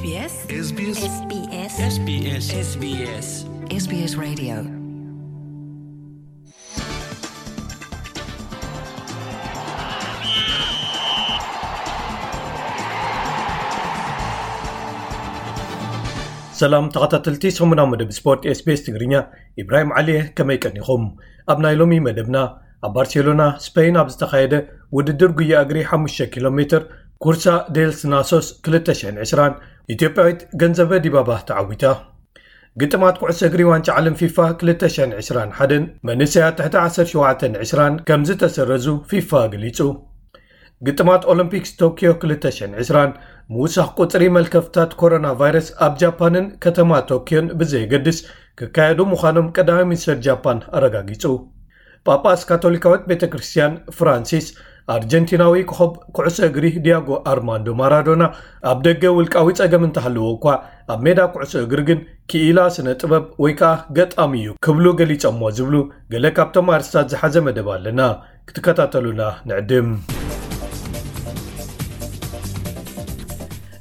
SBS SBS SBS SBS SBS Radio. ሰላም ተኸታተልቲ ሰሙናዊ መደብ ስፖርት SBS ትግርኛ፣ ኢብራሂም ዓሊ እየ። ከመይ ቀኒኹም? ኣብ ናይ ሎሚ መደብና፣ ኣብ ባርሴሎና ስፔን ኣብ ዝተኻየደ ውድድር ጉያ እግሪ ሓሙሽተ ኪሎ ሜትር፣ ኩርሳ ዴልስ ናሶስ ክልተ ሽሕን ዕስራን፣ ኢትዮጵያዊት ገንዘበ ዲባባ ተዓዊታ። ግጥማት ኩዕሶ እግሪ ዋንጫ ዓለም ፊፋ ክልተ ሽሕን ዕስራን ሓደን መንእሰያት ትሕቲ ዓሰርተ ሸውዓተን ዕስራን ከም ዝተሰረዙ ፊፋ ገሊጹ። ግጥማት ኦሎምፒክስ ቶኪዮ ክልተ ሽሕን ዕስራን፣ ምውሳኽ ቁጽሪ መልከፍታት ኮሮና ቫይረስ ኣብ ጃፓንን ከተማ ቶኪዮን ብዘየገድስ ክካየዱ ምዃኖም ቀዳማይ ሚኒስተር ጃፓን ኣረጋጊጹ። ጳጳስ ካቶሊካዊት ቤተ ክርስቲያን ፍራንሲስ፣ ኣርጀንቲናዊ ኮኸብ ኩዕሶ እግሪ ዲያጎ ኣርማንዶ ማራዶና ኣብ ደገ ውልቃዊ ጸገም እንተሃለዎ እኳ፣ ኣብ ሜዳ ኩዕሶ እግሪ ግን ክኢላ ስነ ጥበብ ወይ ከኣ ገጣሚ እዩ ክብሉ ገሊጾሞ ዝብሉ ገለ ካብቶም ኣርስታት ዝሓዘ መደብ ኣለና። ክትከታተሉና ንዕድም።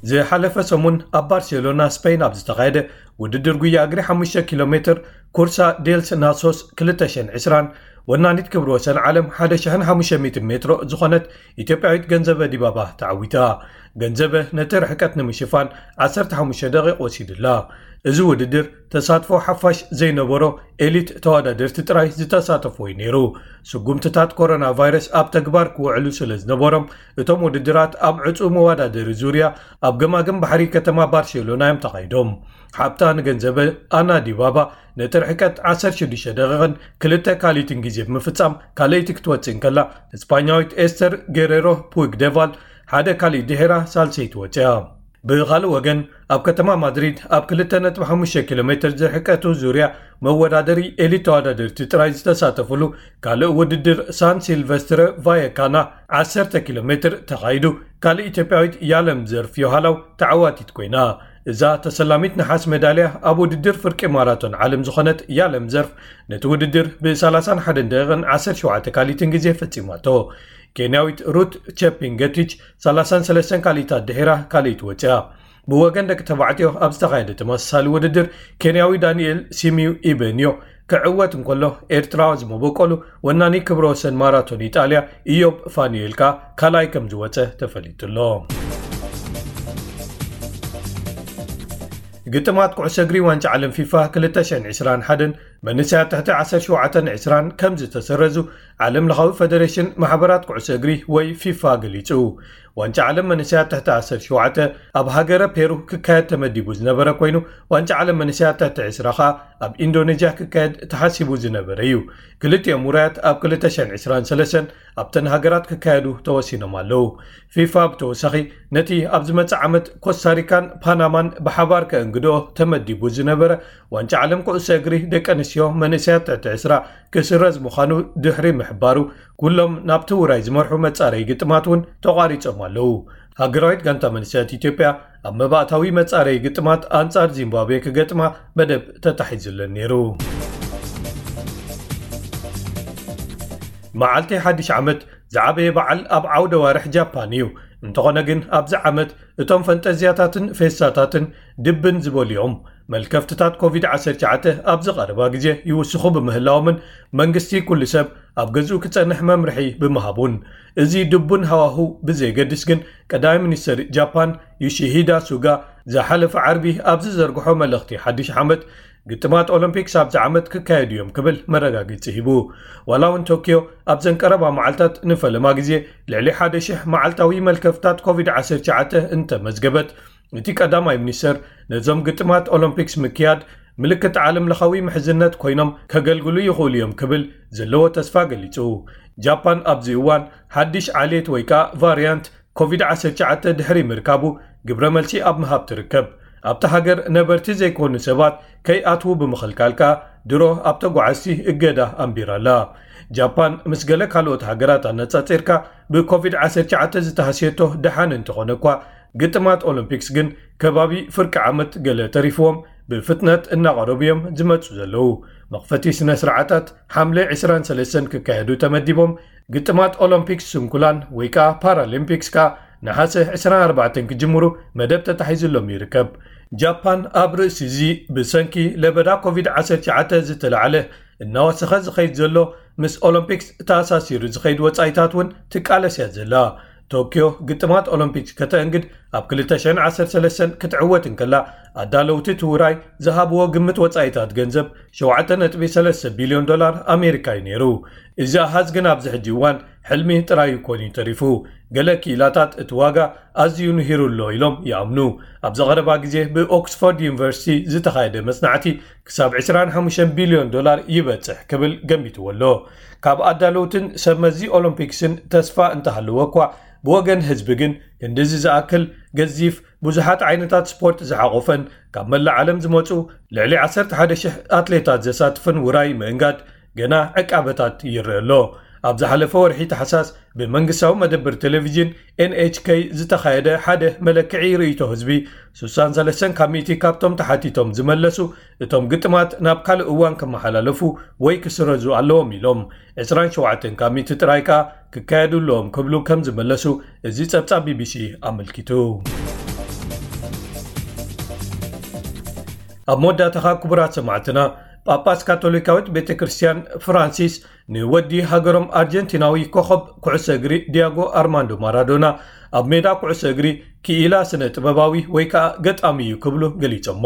ዝሓለፈ ሰሙን ኣብ ባርሴሎና ስፔን ኣብ ዝተኻየደ ውድድር ጉያ እግሪ ሓሙሽተ ኪሎ ሜትር ኩርሳ ዴልስ ናሶስ ክልተ ሽሕን ዕስራን፣ ወናኒት ክብሪ ወሰን ዓለም ሓደ ሽሕን ሓሙሽተ ሚእትን ሜትሮ ዝኾነት ኢትዮጵያዊት ገንዘበ ዲባባ ተዓዊታ። ገንዘበ ነቲ ርሕቀት ንምሽፋን ዓሰርተ ሓሙሽተ ደቂቕ ወሲዱላ። እዚ ውድድር ተሳትፎ ሓፋሽ ዘይነበሮ ኤሊት ተወዳደርቲ ጥራይ ዝተሳተፎ እዩ ነይሩ። ስጉምትታት ኮሮና ቫይረስ ኣብ ተግባር ክውዕሉ ስለ ዝነበሮም፣ እቶም ውድድራት ኣብ ዕጹው መወዳደሪ ዙርያ ኣብ ገማግም ባሕሪ ከተማ ባርሴሎና እዮም ተኻይዶም። ሓብታ ንገንዘበ ኣና ዲባባ ነቲ ርሕቀት ዓሰርተ ሽዱሽተ ደቂቕን ክልተ ካልኢትን ግዜ ብምፍጻም ካልኣይቲ ክትወጽእ እንከላ፣ እስፓኛዊት ኤስተር ጌሬሮ ፑይግደቫል ሓደ ካልኢት ድሒራ ሳልሰይቲ ወጺኣ። ብኻልእ ወገን፣ ኣብ ከተማ ማድሪድ ኣብ ክልተ ነጥቢ ሓሙሽተ ኪሎ ሜትር ዝርሕቀቱ ዙርያ መወዳደሪ ኤሊት ተወዳደርቲ ጥራይ ዝተሳተፍሉ ካልእ ውድድር ሳን ሲልቨስትረ ቫየካና ዓሰርተ ኪሎ ሜትር ተኻይዱ። ካልእ ኢትዮጵያዊት ያለም ዘርፍ ዮሃላው ተዓዋቲት ኮይና። እዛ ተሰላሚት ነሓስ ሜዳልያ ኣብ ውድድር ፍርቂ ማራቶን ዓለም ዝኾነት ያለም ዘርፍ ነቲ ውድድር ብ ሰላሳን ሓደን ደቂቕን ዓሰርተ ሸውዓተ ካልኢትን ግዜ ፈጺማቶ። ኬንያዊት ሩት ቸፒንገቲች ሰላሳን ሰለስተን ካልኢታት ድሒራ ካልኢት ወጺኣ። ብወገን ደቂ ተባዕትዮ ኣብ ዝተኻየደ ተመሳሳሊ ውድድር፣ ኬንያዊ ዳንኤል ሲሚዩ ኢበንዮ ክዕወት እንከሎ፣ ኤርትራዊ ዝመበቆሉ ወናኒ ክብረ ወሰን ማራቶን ኢጣልያ ኢዮብ ፋኑኤል ከኣ ካልኣይ ከም ዝወጸ ተፈሊጡ ኣሎ። ግጥማት ኩዕሶ እግሪ ዋንጫ ዓለም ፊፋ ክልተ ሽሕን ዕስራን ሓደን መንእሰያት ትሕቲ ዓሰርተ ሸውዓተን ዕስራን ከም ዝተሰረዙ ዓለም ለኻዊ ፈደሬሽን ማሕበራት ኩዕሶ እግሪ ወይ ፊፋ ገሊጹ። ዋንጫ ዓለም መንእሰያት ትሕቲ ዓሰርተ ሸውዓተ ኣብ ሃገረ ፔሩ ክካየድ ተመዲቡ ዝነበረ ኮይኑ፣ ዋንጫ ዓለም መንእሰያት ትሕቲ ዕስራ ኸኣ ኣብ ኢንዶኔዥያ ክካየድ ተሓሲቡ ዝነበረ እዩ። ክልቲኦም ውራያት ኣብ ክልተ ሽሕን ዕስራን ሰለስተን ኣብተን ሃገራት ክካየዱ ተወሲኖም ኣለዉ። ፊፋ ብተወሳኺ ነቲ ኣብ ዝመጽእ ዓመት ኮስታሪካን ፓናማን ብሓባር ከእንግድኦ ተመዲቡ ዝነበረ ዋንጫ ዓለም ኩዕሶ እግሪ ደቂ ኣንስትዮ መንእሰያት ትሕቲ ዕስራ ክስረዝ ምዃኑ ድሕሪ ምሕባሩ፣ ኩሎም ናብቲ ውራይ ዝመርሑ መጻረዪ ግጥማት እውን ተቋሪጾም ኣለዉ። ሃገራዊት ጋንታ መንእሰያት ኢትዮጵያ ኣብ መባእታዊ መጻረዪ ግጥማት ኣንጻር ዚምባብዌ ክገጥማ መደብ ተታሒዙለን ነይሩ። መዓልቲ ሓድሽ ዓመት ዝዓበየ በዓል ኣብ ዓውደ ዋርሕ ጃፓን እዩ። እንተኾነ ግን ኣብዚ ዓመት እቶም ፈንጠዝያታትን ፌስታታትን ድብን ዝበሉ እዮም። መልከፍትታት ኮቪድ ዓሰርተ ትሽዓተ ኣብዚ ቀረባ ግዜ ይውስኹ ብምህላዎምን መንግስቲ ኩሉ ሰብ ኣብ ገዝኡ ክጸንሕ መምርሒ ብምሃቡን፣ እዚ ድቡን ሃዋሁ ብዘየገድስ ግን ቀዳማይ ሚኒስተር ጃፓን ዮሺሂዳ ሱጋ ዝሓለፈ ዓርቢ ኣብ ዝዘርግሖ መልእኽቲ ሓድሽ ዓመት፣ ግጥማት ኦሎምፒክስ ኣብዚ ዓመት ክካየዱ እዮም ክብል መረጋገጺ ሂቡ። ዋላ እውን ቶኪዮ ኣብዘን ቀረባ መዓልታት ንፈለማ ግዜ ልዕሊ ሓደ ሽሕ መዓልታዊ መልከፍታት ኮቪድ ዓሰርተ ትሽዓተ እንተመዝገበት፣ እቲ ቀዳማይ ሚኒስተር ነዞም ግጥማት ኦሎምፒክስ ምክያድ ምልክት ዓለም ለኻዊ ምሕዝነት ኮይኖም ከገልግሉ ይኽእሉ እዮም ክብል ዘለዎ ተስፋ ገሊጹ። ጃፓን ኣብዚ እዋን ሓድሽ ዓሌት ወይ ከኣ ቫርያንት ኮቪድ ዓሰርተ ትሽዓተ ድሕሪ ምርካቡ ግብረ መልሲ ኣብ ምሃብ ትርከብ። ኣብታ ሃገር ነበርቲ ዘይኮኑ ሰባት ከይኣትዉ ብምኽልካል ከኣ ድሮ ኣብ ተጓዓዝቲ እገዳ ኣንቢራ ኣላ። ጃፓን ምስ ገለ ካልኦት ሃገራት ኣነጻጺርካ ብኮቪድ ዓሰርተ ትሽዓተ ዝተሃስየቶ ደሓን እንተኾነ እኳ፣ ግጥማት ኦሎምፒክስ ግን ከባቢ ፍርቂ ዓመት ገለ ተሪፍዎም ብፍጥነት እናቐረቡ እዮም ዝመጹ ዘለዉ። መኽፈቲ ስነ ስርዓታት ሓምለ ዕስራን ሰለስተን ክካየዱ ተመዲቦም፣ ግጥማት ኦሎምፒክስ ስንኩላን ወይ ከኣ ፓራሊምፒክስ ከኣ ነሓሰ ዕስራን ኣርባዕተን ክጅምሩ መደብ ተታሒዙሎም ይርከብ። ጃፓን ኣብ ርእሲ እዚ ብሰንኪ ለበዳ ኮቪድ ዓሰርተ ትሽዓተ ዝተላዕለ እናወሰኸ ዝኸይድ ዘሎ ምስ ኦሎምፒክስ ተኣሳሲሩ ዝኸይድ ወጻኢታት እውን ትቃለስ እያ ዘላ። ቶኪዮ ግጥማት ኦሎምፒክስ ከተእንግድ ኣብ ክልተ ሽሕን ዓሰርተ ሰለስተን ክትዕወት እንከላ ኣዳለውቲ እቲ ውራይ ዝሃብዎ ግምት ወጻኢታት ገንዘብ ሸውዓተ ነጥቢ ሰለስተ ቢልዮን ዶላር ኣሜሪካ እዩ ነይሩ። እዚ ኣሃዝ ግን ኣብዚ ሕጂ እዋን ሕልሚ ጥራይ ኮይኑ ተሪፉ። ገለ ክኢላታት እቲ ዋጋ ኣዝዩ ንሂሩ ኣሎ ኢሎም ይኣምኑ። ኣብዚ ቀረባ ግዜ ብኦክስፎርድ ዩኒቨርሲቲ ዝተኻየደ መጽናዕቲ ክሳብ ዕስራን ሓሙሽተን ቢልዮን ዶላር ይበጽሕ ክብል ገሚትዎ ኣሎ። ካብ ኣዳለውትን ሰብ መዚ ኦሎምፒክስን ተስፋ እንተሃለወ እኳ ብወገን ህዝቢ ግን ክንድዚ ዝኣክል ገዚፍ ብዙሓት ዓይነታት ስፖርት ዝሓቖፈን ካብ መላእ ዓለም ዝመጹ ልዕሊ ዓሰርተ ሓደ ሽሕ ኣትሌታት ዘሳትፍን ውራይ ምእንጋድ ገና ዕቃበታት ይረአ ኣሎ። ኣብ ዝሓለፈ ወርሒ ታሕሳስ ብመንግስታዊ መደብር ቴሌቪዥን ኤንኤችኬ ዝተኻየደ ሓደ መለክዒ ርእይቶ ህዝቢ፣ ስሳን ሰለስተን ካብ ሚእቲ ካብቶም ተሓቲቶም ዝመለሱ እቶም ግጥማት ናብ ካልእ እዋን ክመሓላለፉ ወይ ክስረዙ ኣለዎም ኢሎም። ዕስራን ሸውዓተን ካብ ሚእቲ ጥራይ ከኣ ክካየዱ ኣለዎም ክብሉ ከም ዝመለሱ እዚ ጸብጻብ ቢቢሲ ኣመልኪቱ። ኣብ መወዳእታኻ ክቡራት ሰማዕትና፣ ጳጳስ ካቶሊካዊት ቤተ ክርስቲያን ፍራንሲስ ንወዲ ሃገሮም ኣርጀንቲናዊ ኮኸብ ኩዕሶ እግሪ ዲያጎ ኣርማንዶ ማራዶና ኣብ ሜዳ ኩዕሶ እግሪ ክኢላ ስነ ጥበባዊ ወይ ከኣ ገጣሚ እዩ ክብሉ ገሊጾሞ።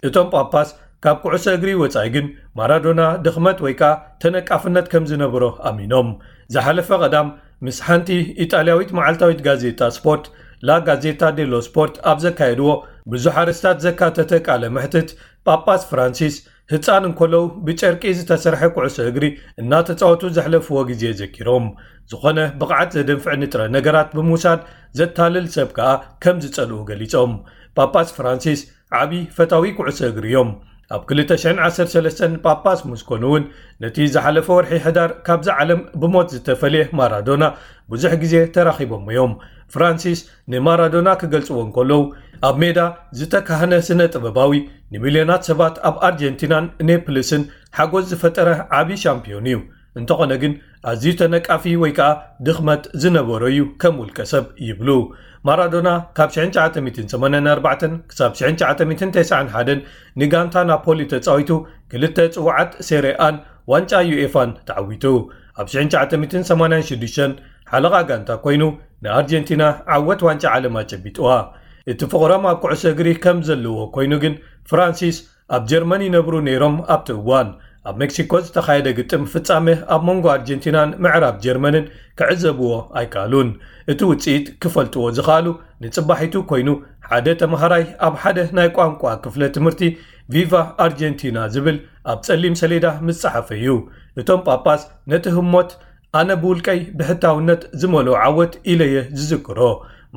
እቶም ጳጳስ ካብ ኩዕሶ እግሪ ወጻኢ ግን ማራዶና ድኽመት ወይ ከኣ ተነቃፍነት ከም ዝነበሮ ኣሚኖም። ዝሓለፈ ቀዳም ምስ ሓንቲ ኢጣልያዊት መዓልታዊት ጋዜጣ ስፖርት ላ ጋዜታ ዴሎ ስፖርት ኣብ ዘካየድዎ ብዙሕ ኣርእስታት ዘካተተ ቃለ መሕትት ጳጳስ ፍራንሲስ ህጻን እንከለዉ ብጨርቂ ዝተሰርሐ ኩዕሶ እግሪ እናተጻወቱ ዘሕለፍዎ ግዜ ዘኪሮም፣ ዝኾነ ብቕዓት ዘደንፍዕ ንጥረ ነገራት ብምውሳድ ዘታልል ሰብ ከኣ ከም ዝጸልኡ ገሊጾም። ጳጳስ ፍራንሲስ ዓቢ ፈታዊ ኩዕሶ እግሪ እዮም። ኣብ ክልተ ሽሕን ዓሰርተ ሰለስተን ጳጳስ ምስ ኮኑ እውን ነቲ ዝሓለፈ ወርሒ ሕዳር ካብዛ ዓለም ብሞት ዝተፈልየ ማራዶና ብዙሕ ግዜ ተራኺቦም እዮም። ፍራንሲስ ንማራዶና ክገልጽዎ እንከለዉ፣ ኣብ ሜዳ ዝተካህነ ስነ ጥበባዊ ንሚልዮናት ሰባት ኣብ ኣርጀንቲናን ኔፕልስን ሓጎስ ዝፈጠረ ዓቢ ሻምፒዮን እዩ። እንተኾነ ግን ኣዝዩ ተነቃፊ ወይ ከኣ ድኽመት ዝነበሮ እዩ ከም ውልቀ ሰብ ይብሉ። ማራዶና ካብ ሽሕን ትሽዓተ ሚእትን ሰማንያን ኣርባዕተን ክሳብ ሽሕን ትሽዓተ ሚእትን ተስዓን ሓደን ንጋንታ ናፖሊ ተጻዊቱ ክልተ ጽዋዓት ሴሬኣን ዋንጫ ዩኤፋን ተዓዊቱ። ኣብ ሽሕን ትሽዓተ ሚእትን ሰማንያን ሽዱሽተን ሓለቓ ጋንታ ኮይኑ ንኣርጀንቲና ዓወት ዋንጫ ዓለም ኣጨቢጥዋ። እቲ ፍቕሮም ኣብ ኩዕሶ እግሪ ከም ዘለዎ ኮይኑ ግን ፍራንሲስ ኣብ ጀርመን ይነብሩ ነይሮም ኣብቲ እዋን። ኣብ ሜክሲኮ ዝተኻየደ ግጥም ፍጻመ ኣብ መንጎ ኣርጀንቲናን ምዕራብ ጀርመንን ክዕዘብዎ ኣይከኣሉን። እቲ ውጽኢት ክፈልጥዎ ዝኸኣሉ ንጽባሒቱ ኮይኑ ሓደ ተመሃራይ ኣብ ሓደ ናይ ቋንቋ ክፍለ ትምህርቲ ቪቫ ኣርጀንቲና ዝብል ኣብ ጸሊም ሰሌዳ ምስ ጸሓፈ እዩ። እቶም ጳጳስ ነቲ ህሞት ኣነ ብውልቀይ ብሕታውነት ዝመልኦ ዓወት ኢለየ ዝዝክሮ።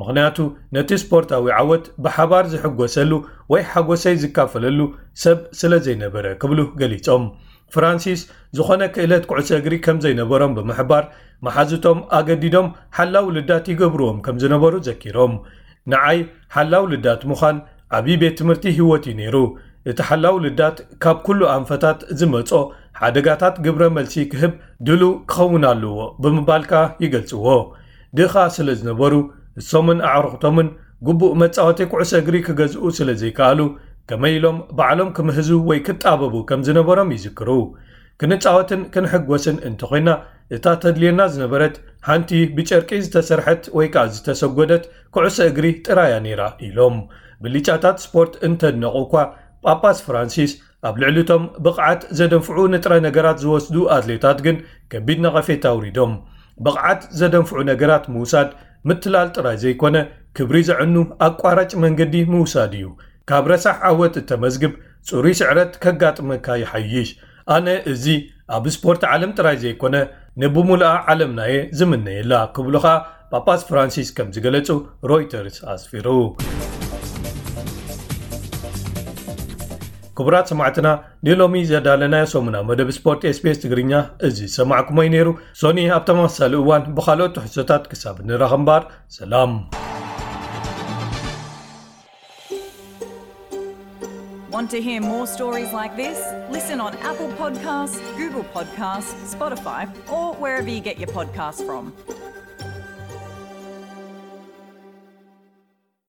ምኽንያቱ ነቲ ስፖርታዊ ዓወት ብሓባር ዝሕጎሰሉ ወይ ሓጎሰይ ዝካፈለሉ ሰብ ስለ ዘይነበረ ክብሉ ገሊጾም። ፍራንሲስ ዝኾነ ክእለት ኩዕሶ እግሪ ከም ዘይነበሮም ብምሕባር መሓዙቶም ኣገዲዶም ሓላው ልዳት ይገብርዎም ከም ዝነበሩ ዘኪሮም። ንዓይ ሓላው ልዳት ምዃን ዓቢ ቤት ትምህርቲ ህይወት እዩ ነይሩ። እቲ ሓላው ልዳት ካብ ኩሉ ኣንፈታት ዝመጾ ሓደጋታት ግብረ መልሲ ክህብ ድሉው ክኸውን ኣለዎ ብምባል ከኣ ይገልጽዎ። ድኻ ስለ ዝነበሩ እሶምን ኣዕሩኽቶምን ግቡእ መጻወቲ ኩዕሶ እግሪ ክገዝኡ ስለ ዘይከኣሉ ከመይ ኢሎም ባዕሎም ክምህዙ ወይ ክጣበቡ ከም ዝነበሮም ይዝክሩ። ክንጻወትን ክንሕጎስን እንተኾይና እታ ተድልየና ዝነበረት ሓንቲ ብጨርቂ ዝተሰርሐት ወይ ከኣ ዝተሰጎደት ኩዕሶ እግሪ ጥራያ ነይራ ኢሎም። ብሊጫታት ስፖርት እንተድነቑ እኳ ጳጳስ ፍራንሲስ ኣብ ልዕሊቶም ብቕዓት ዘደንፍዑ ንጥረ ነገራት ዝወስዱ ኣትሌታት ግን ከቢድ ነቐፌታ ኣውሪዶም። ብቕዓት ዘደንፍዑ ነገራት ምውሳድ ምትላል ጥራይ ዘይኮነ ክብሪ ዘዕኑ ኣቋራጭ መንገዲ ምውሳድ እዩ። ካብ ረሳሕ ዓወት እተመዝግብ ጽሩይ ስዕረት ከጋጥመካ ይሓይሽ። ኣነ እዚ ኣብ ስፖርት ዓለም ጥራይ ዘይኮነ ንብሙሉኣ ዓለምናየ ዝምነየላ ክብሉ ኸኣ ጳጳስ ፍራንሲስ ከም ዝገለጹ ሮይተርስ ኣስፊሩ። ክቡራት ሰማዕትና ንሎሚ ዘዳለናዮ ሰሙና መደብ ስፖርት ኤስቢኤስ ትግርኛ እዚ ዝሰማዕኩሞ እዩ ነይሩ። ሶኒ ኣብ ተመሳሳሊ እዋን ብኻልኦት ትሕዝቶታት ክሳብ ንራኸብ እምበር ሰላም። Want to hear more stories like this? Listen on Apple Podcasts, Google Podcasts, Spotify, or wherever you get your podcasts from.